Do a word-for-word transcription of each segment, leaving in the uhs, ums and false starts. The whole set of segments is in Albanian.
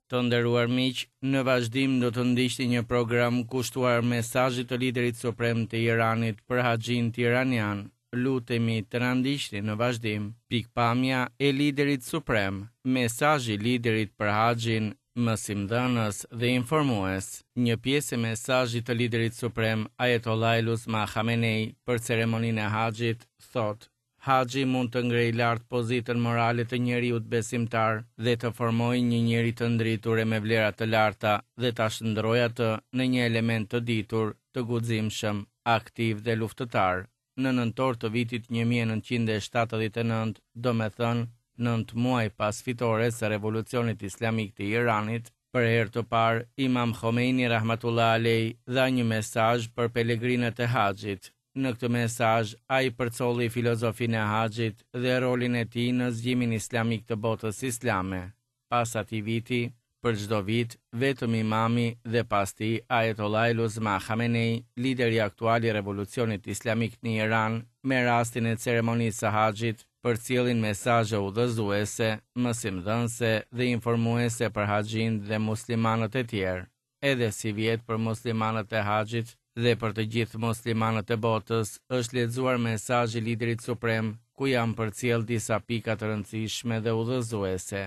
Të nderuar miq, në vazhdim do të ndiqni një program kushtuar mesazhit të liderit suprem të Iranit për haxhinjtë iranian. Lutemi të na ndiqni në vazhdim. Pikëpamja e liderit suprem, mesazhi i liderit për haxhin, mësimdhënës dhe informues. Një pjesë e mesazhit të liderit suprem Ayatollah Eluzma Khamenei për ceremoninë e haxhit thotë: Haxhi mund të ngrejë lart pozitën morale të njeriut besimtar dhe të formojë një njeri të ndritur e me vlera të larta dhe ta shndërrojë atë në një element të ditur, të guximshëm, aktiv dhe luftëtar. Në nëntor të vitit një mijë e nëntëqind e shtatëdhjetë e nëntë, domethënë nëntë muaj pas fitores së Revolucionit Islamik të Iranit, për herë të parë Imam Khomeini rahmatullah alej dha një mesazh për pelegrinët e haxhit. Në këtë mesazh, ai përcolli filozofinë e haxhit dhe rolin e tij në zgjimin islamik të botës islame. Pas atij viti, për çdo vit, vetëm imami dhe pas tij Ayatollah Eluzma Khamenei, lideri aktual i Revolucionit Islamik në Iran, me rastin e ceremonisë së haxhit, përcjellin mesazhe udhëzuese, mësimdhënëse dhe informuese për haxhin dhe muslimanët e tjerë. Edhe si vjet për muslimanët e haxhit dhe për të gjithë muslimanët e botës është lexuar mesazhi i liderit suprem, ku janë përcjell disa pika të rëndësishme dhe udhëzuese.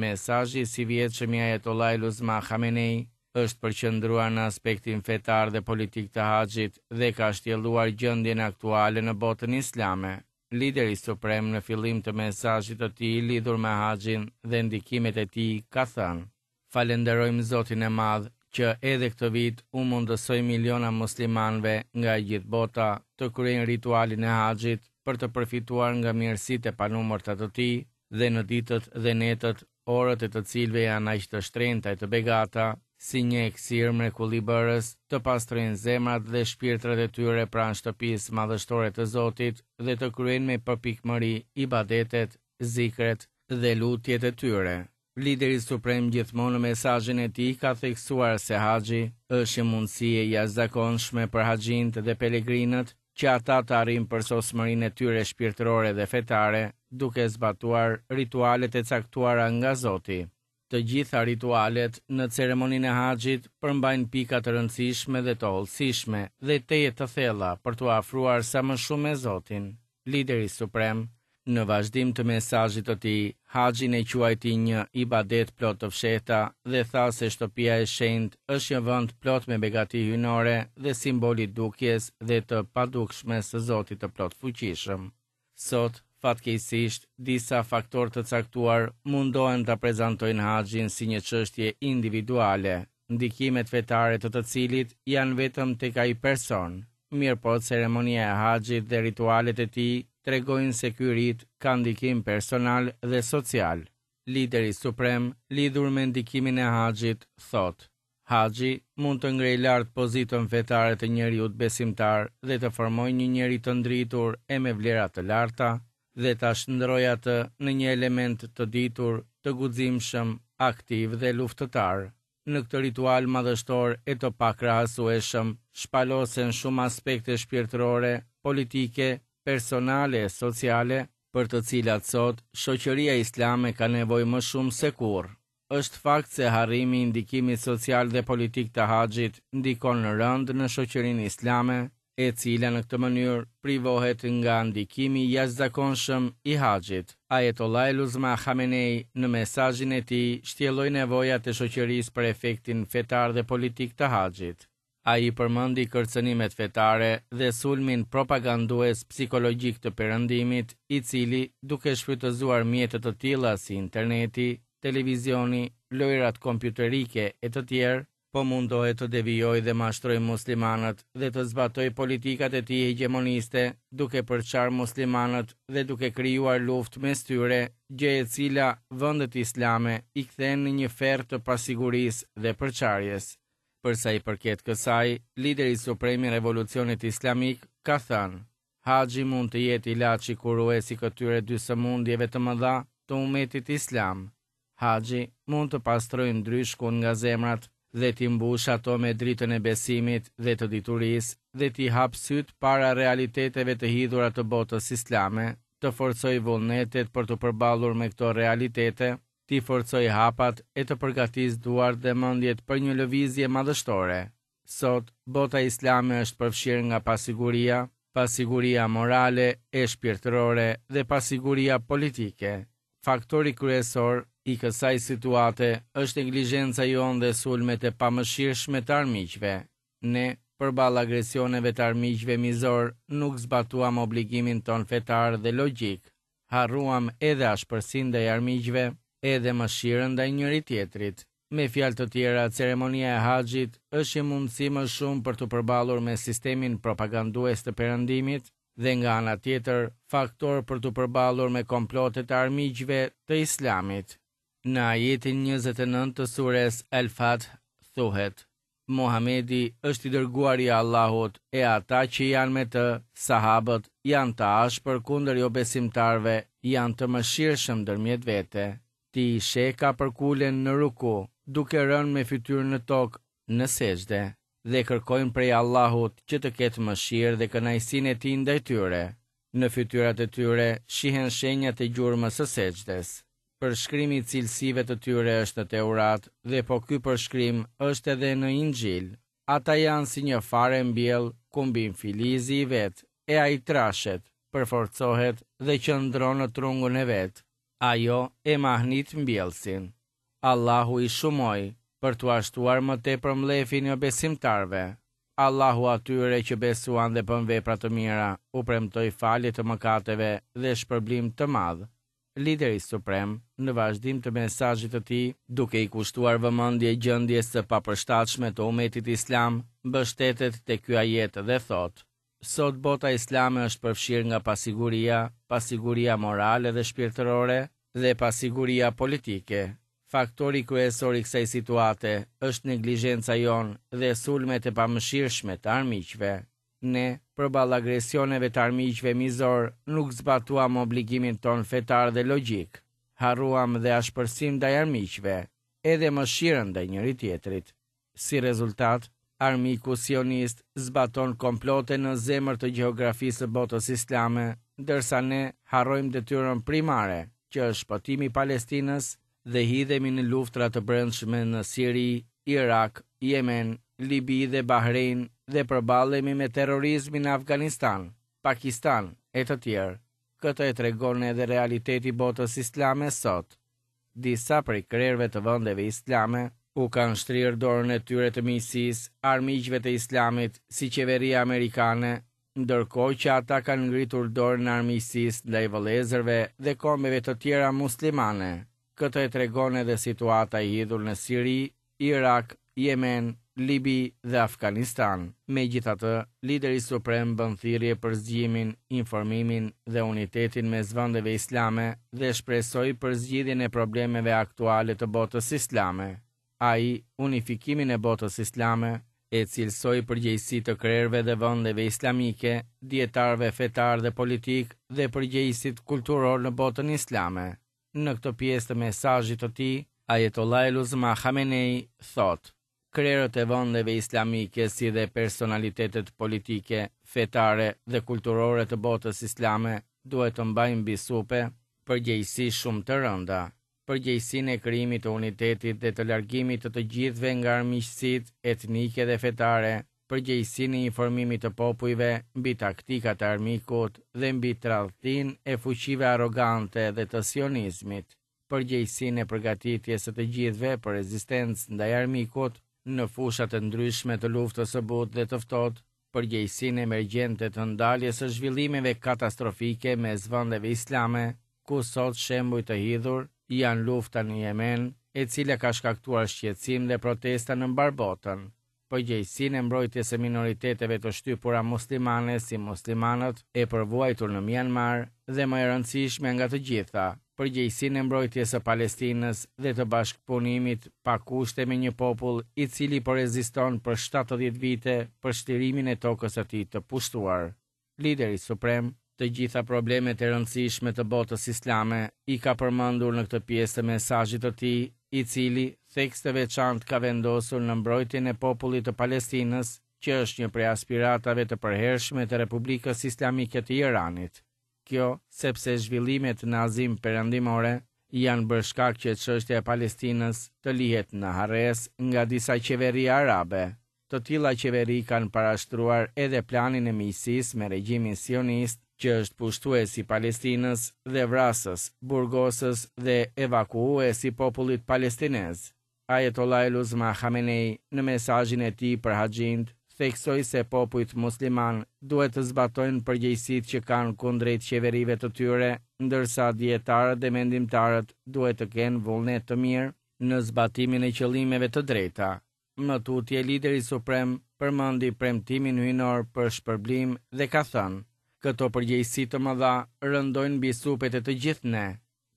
Mesazhi i sivjetshëm i Ayatollah Eluzma Khamenei është përqendruar në aspektin fetar dhe politik të haxhit dhe ka shtjelluar gjendjen aktuale në botën islame. Lideri suprem në fillim të mesazhit të tij lidhur me haxhin dhe ndikimet e tij ka thënë: Falenderojmë Zotin e Madh që edhe këtë vit u mundësoi miliona muslimanëve nga e gjithë bota të kryejnë ritualin e haxhit për të përfituar nga mirësitë e panumërta të tij dhe në ditët dhe netët, orët e të cilëve janë aq të shtrenjta e të begata, si një eksir mrekullibërës, të pastrojnë zemrat dhe shpirtrat e tyre pranë shtëpisë madhështore të Zotit dhe të kryejnë me përpikmëri ibadetet, zikret dhe lutjet e tyre. Lideri suprem gjithmonë në mesazhin e tij ka theksuar se haxhi është një mundësi e jashtëzakonshme për haxhinjtë dhe pelegrinët që ata të arrijnë përsosmërinë e tyre shpirtërore dhe fetare, duke zbatuar ritualet e caktuara nga Zoti. Të gjitha ritualet në ceremoninë e haxhit përmbajnë pika të rëndësishme dhe të hollësishme dhe tejet të thella për t'u afruar sa më shumë me Zotin. Lideri suprem, në vazhdim të mesazhit të tij, haxhin e quajti një ibadet plot të fshehta dhe tha se shtëpia e shenjtë është një vend plot me begati hyjnore dhe simbol i dukjes dhe të padukshmes së Zotit të plotfuqishëm. Sot, fatkeqësisht, disa faktorë të caktuar mundohen ta prezantojnë haxhin si një çështje individuale, ndikimet fetare të të cilit janë vetëm tek ai person. Mirëpo, ceremonia e haxhit dhe ritualet e tij tregojnë se ky rit ka ndikim personal dhe social. Lideri suprem, lidhur me ndikimin e haxhit, thotë: Haxhi mund të ngrejë lart pozitën fetare të njeriut besimtar dhe të formojë një njeri të ndritur e me vlera të larta dhe ta shndërrojë atë në një element të ditur, të guximshëm, aktiv dhe luftëtar. Në këtë ritual madhështor e të pakrahasueshëm, shpalosen shumë aspekte shpirtërore, politike, personale e sociale, për të cilat sot shoqëria islame ka nevojë më shumë se kurrë. Është fakt se harrimi i ndikimit social dhe politik të haxhit ndikon rëndë në shoqërinë islame, e cila në këtë mënyrë privohet nga ndikimi i jashtëzakonshëm i haxhit. Ayatollah Eluzma Khamenei në mesazhin e tij shtjelloi nevojat e shoqërisë për efektin fetar dhe politik të haxhit. Ai përmendi kërcënimet fetare dhe sulmin propagandues psikologjik të Perëndimit, i cili, duke shfrytëzuar mjete të tilla si interneti, televizioni, lojrat kompjuterike e të tjerë, po mundohet të devijojë dhe mashtrojë muslimanët dhe të zbatojë politikat e tij hegjemoniste, duke përçarë muslimanët dhe duke krijuar luftë mes tyre, gjë e cila vendet islame i kthen në një ferr të pasigurisë dhe përçarjes. Për sa i përket kësaj, lideri suprem i Revolucionit Islamik ka thënë: Haxhi mund të jetë ilaçi kurues i këtyre dy sëmundjeve të mëdha të umetit islam. Haxhi mund të pastrojë ndryshkun nga zemrat dhe t'i mbush ato me dritën e besimit dhe të diturisë dhe t'i hap syt para realiteteve të hidhura të botës islame, të forcojë vullnetet për t'u përballur me këto realitete t'i forcojë hapat e të përgatisë duart dhe mendjet për një lëvizje madhështore. Sot, bota islame është përfshirë nga pasiguria, pasiguria morale e shpirtërore dhe pasiguria politike. Faktori kryesor i kësaj situate është neglizhenca jonë dhe sulmet e pamëshirshme të armiqve. Ne, përballë agresioneve të armiqve mizor, nuk zbatuam obligimin tonë fetar dhe logjik. Harruam edhe ashpërsinë ndaj armiqve, edhe mëshirën ndaj njëri tjetrit. Me fjalë të tjera, ceremonia e Haxhit është një mundësi më shumë për t'u përballur me sistemin propagandues të Perëndimit dhe nga ana tjetër, faktor për t'u përballur me komplotet e armiqve të Islamit. Në ajetin njëzet e nëntë të sures Al-Fath thuhet: Muhamedi është i dërguari i Allahut e ata që janë me të, sahabët, janë të ashpër kundër jobesimtarëve, janë të mëshirshëm ndërmjet vete. Ti i sheh ka përkulen në ruku, duke rënë me fytyrë në tokë, në sexhde, dhe kërkojnë prej Allahut që të ketë mëshirë dhe kënaqësinë e tij ndaj tyre. Në fytyrat e tyre shihen shenjat e gjurmës së sexhdes. Përshkrimi i cilësive të tyre është në Teurat dhe po ky përshkrim është edhe në Inxhil. Ata janë si një farë e mbjell ku mbin filizi i vet, e ai trashet, përforcohet dhe qëndron në trungun e vet. Ajo e mahnit mbjellësin. Allahu i shumoi për t'u ashtuar më tepër mllefin e besimtarëve. Allahu atyre që besuan dhe bën vepra të mira, u premtoi falje të mëkateve dhe shpërblim të madh. Lideri suprem, në vazhdim të mesazhit të tij, duke i kushtuar vëmendje gjendjes së papërshtatshme të umetit islam, mbështetet te ky ajet dhe thotë: Sot bota islame është përfshirë nga pasiguria, pasiguria morale dhe shpirtërore dhe pasiguria politike. Faktori kryesor i kësaj situate është neglizhenca jonë dhe sulmet e pamëshirshme të armiqve. Ne, përballë agresioneve të armiqve mizor, nuk zbatuam obligimin tonë fetar dhe logjik. Harruam dhe ashpërsim ndaj armiqve, edhe mëshirën ndaj njëri tjetrit. Si rezultat, armiku sionist zbaton komplote në zemër të gjeografisë së botës islame, ndërsa ne harrojmë detyrën primare, që është shpëtimi i Palestinës, dhe hidhemi në luftra të brendshme në Siri, Irak, Jemen, Libi dhe Bahrein dhe përballemi me terrorizmin në Afganistan, Pakistan e të tjerë. Këtë e tregon edhe realiteti i botës islame sot. Disa prej krerëve të vendeve islame u kanë shtrirë dorën e tyre të miqësisë armiqve të islamit si qeveria amerikane, ndërkohë që ata kanë ngritur dorën e armiqësisë ndaj vëllezërve dhe kombeve të tjera muslimane. Këtë e tregon edhe situata e hidhur në Siri, Irak, Jemen, Libi dhe Afganistan. Megjithatë, lideri suprem bën thirrje për zgjimin, informimin dhe unitetin mes vendeve islame dhe shpresoi për zgjidhjen e problemeve aktuale të botës islame. Ai, unifikimin e botës islame, e cilësoi përgjegjësi të krerëve dhe vendeve islamike, dietarëve fetar dhe politik dhe përgjegjësit kulturor në botën islame. Në këtë pjesë të mesazhit të tij, Ayatollah el-Uzma Khamenei thotë: Krerët e vendeve islamike si dhe personalitetet politike, fetare dhe kulturore të botës islame duhet të mbajnë mbi supe përgjegjësi shumë të rënda, përgjegjësinë e krijimit të unitetit dhe të largimit të të gjithëve nga armiqësitë etnike dhe fetare, përgjegjësinë e informimit të popujve mbi taktikat e armikut dhe mbi tradhtinë e fuqive arrogante dhe të sionizmit, përgjegjësinë e përgatitjes së të gjithëve për rezistencë ndaj armikut në fushat e ndryshme të luftës së butë dhe të ftohtë, përgjegjësinë emergjente të ndaljes së zhvillimeve katastrofike mes vendeve islame, ku sot shembuj të hidhur janë lufta në Jemen, e cila ka shkaktuar shqetësim dhe protesta në mbar botën, përgjegjësinë e mbrojtjes së minoriteteve të shtypura muslimane si muslimanët e përvuajtur në Myanmar dhe më e rëndësishme nga të gjitha, përgjegjësinë e mbrojtjes së Palestinës dhe të bashkëpunimit pa kushte me një popull i cili po reziston për shtatëdhjetë vite për shtirimin e tokës së tij të pushtuar. Lideri suprem, të gjitha problemet e rëndësishme të botës islame i ka përmendur në këtë pjesë të mesazhit të tij, i cili theks të veçantë ka vendosur në mbrojtjen e popullit të Palestinës, që është një prej aspiratave të përhershme të Republikës Islamike të Iranit. Kjo sepse zhvillimet në Azinë Perëndimore janë bërë shkak që çështja e Palestinës të lihet në harresë nga disa qeveri arabe. Të tilla qeveri kanë parashtruar edhe planin e miqësisë me regjimin sionist, që është pushtues i Palestinës dhe vrasës, burgosës dhe evakuues i popullit palestinez. Ayatollah el-Uzma Khamenei në mesazhin e tij për haxhinjtë theksoi se popujt musliman duhet të zbatojnë përgjegjësitë që kanë kundrejt qeverive të tyre, ndërsa dijetarët dhe mendimtarët duhet të kenë vullnet të mirë në zbatimin e qëllimeve të drejta. Më tutje, lideri suprem përmendi premtimin hyjnor për shpërblim dhe ka thënë: Këto përgjegjësi të mëdha rëndojnë mbi supet e të gjithë ne.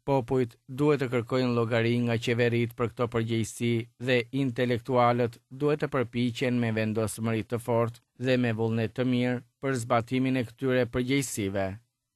Popujt duhet të kërkojnë llogari nga qeveritë për këto përgjegjësi dhe intelektualët duhet të përpiqen me vendosmëri të fortë dhe me vullnet të mirë për zbatimin e këtyre përgjegjësive.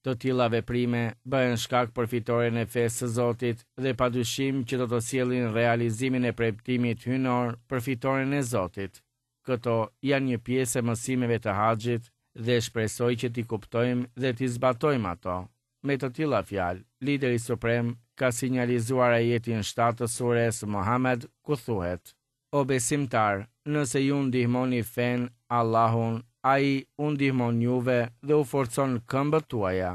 Të tilla veprime bëhen shkak për fitoren e fesë së Zotit dhe padyshim që do të sjellin realizimin e premtimit hyjnor për fitoren e Zotit. Këto janë një pjesë e mësimeve të Haxhit dhe shpresoj që t'i kuptojmë dhe t'i zbatojmë ato. Me të tilla fjalë, lideri suprem ka sinjalizuar ajetin shtatë të sures Muhammed, ku thuhet: O besimtar, nëse ju ndihmoni fenë, Allahun, ai u ndihmon juve dhe u forcon këmbët tuaja.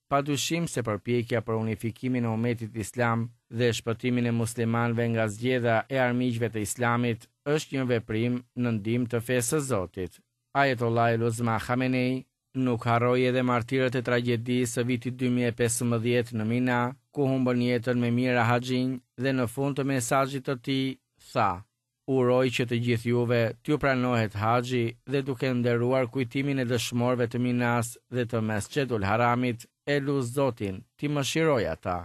Padyshim se përpjekja për unifikimin e umetit islam dhe shpëtimin e muslimanëve nga zgjedha e armiqve të islamit është një veprim në ndihmë të fesë së Zotit. Ayatollah el-Uzma Khamenei nuk harroi edhe martirët e tragjedisë së vitit dy mijë e pesëmbëdhjetë në Mina, ku humbën jetën me mijëra haxhinj dhe në fund të mesazhit të tij tha: Uroj që të gjithë juve t'ju pranohet haxhi dhe duke nderuar kujtimin e dëshmorëve të Minas dhe të Mesxhidul Haramit, e lus Zotin t'i mëshiroj ata.